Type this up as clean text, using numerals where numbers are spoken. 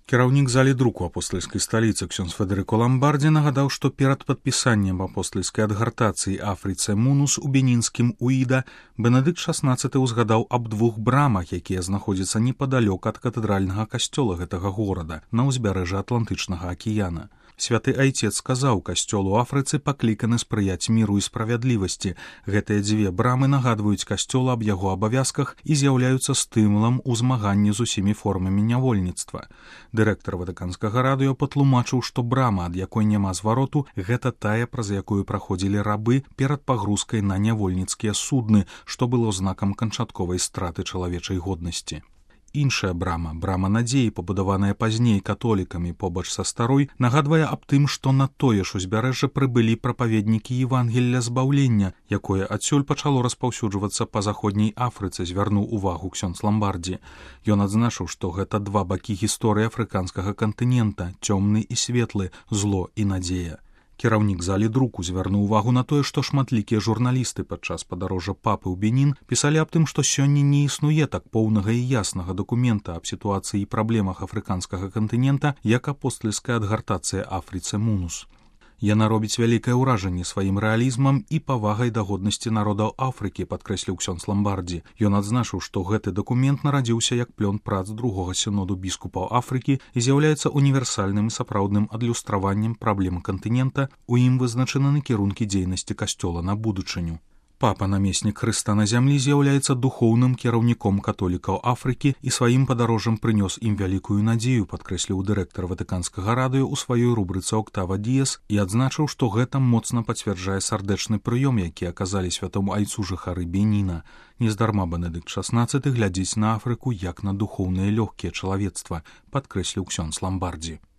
Кіраўнік залі друку апостальскай сталіцы ксёндз Федэрыко Ламбардзі нагадаў, што перад падпісаннем апостальскай адгартацыі Афрыцэ Мунус у бенінскім Уіда Бенедыкт XVI ўзгадаў аб двух брамах, якія знаходзяцца непадалёк ад катэдральнага касцёла гэтага горада на ўзбярэжжы Атлантычнага акіяна. Святы айцец сказаў, касцёл у Афрыцы пакліканы спрыяць міру і справядлівасці. Гэтыя дзве брамы нагадваюць касцёл аб яго абавязках і з'яўляюцца стымулам у змаганні з усімі формамі нявольніцтва. Дырэктар ватыканскага радыё патлумачыў, што брама, ад якой няма звароту, гэта тая, праз якую праходзілі рабы перад пагрузкай на нявольніцкія судны, што было знакам канчатковай страты чалавечай годнасці. Іншая брама, брама надзеі, пабудаваная пазней католікамі побач са старой, нагадвае аб тым, што на тое ж узбярэжжа прыбылі прапаведнікі Евангелля збаўлення, якое адсюль пачало распаўсюджвацца па заходняй Афрыцы, звярнуў увагу ксёндз Ламбардзі. Ён адзначыў, што гэта два бакі гісторыі афрыканскага кантынента, цёмны і светлы, зло і надзея. Кіраўнік залі друку звярнуў увагу на тое, што шматлікія журналісты падчас падарожжа папы ў Бенін пісалі аб тым, што сёння не існуе так поўнага і яснага дакумента аб сітуацыі і праблемах афрыканскага кантынента, як апостальская адгартацыя Афрыцэ Мунус. Яна робіць вялікае ўражанне сваім рэалізмам і павагай да годнасці народаў Афрыкі, падкрэсліў ксёндз Ламбардзі. Ён адзначыў, што гэты дакумент нарадзіўся як плён прац другога сіноду біскупаў Афрыкі і з'яўляецца універсальным і сапраўдным адлюстраваннем праблем кантынента, у ім вызначаны накірункі дзейнасці касцёла на будучыню. Папа, намеснік Хрыста на зямлі, з'яўляецца духоўным кіраўніком католікаў Афрыкі і сваім падарожжам прынёс ім вялікую надзею, падкрэсліў дырэктар ватыканскага радыё ў сваёй рубрыцы «Октава Діес» і адзначыў, што гэта моцна пацвярджае сардэчны прыём, які аказалі святому айцу жыхары Беніна. Нездарма Бенедыкт XVI глядзіць на Афрыку як на духоўнае лёгкія чалавецтва, падкрэсліў ксёндз Ламбардзі.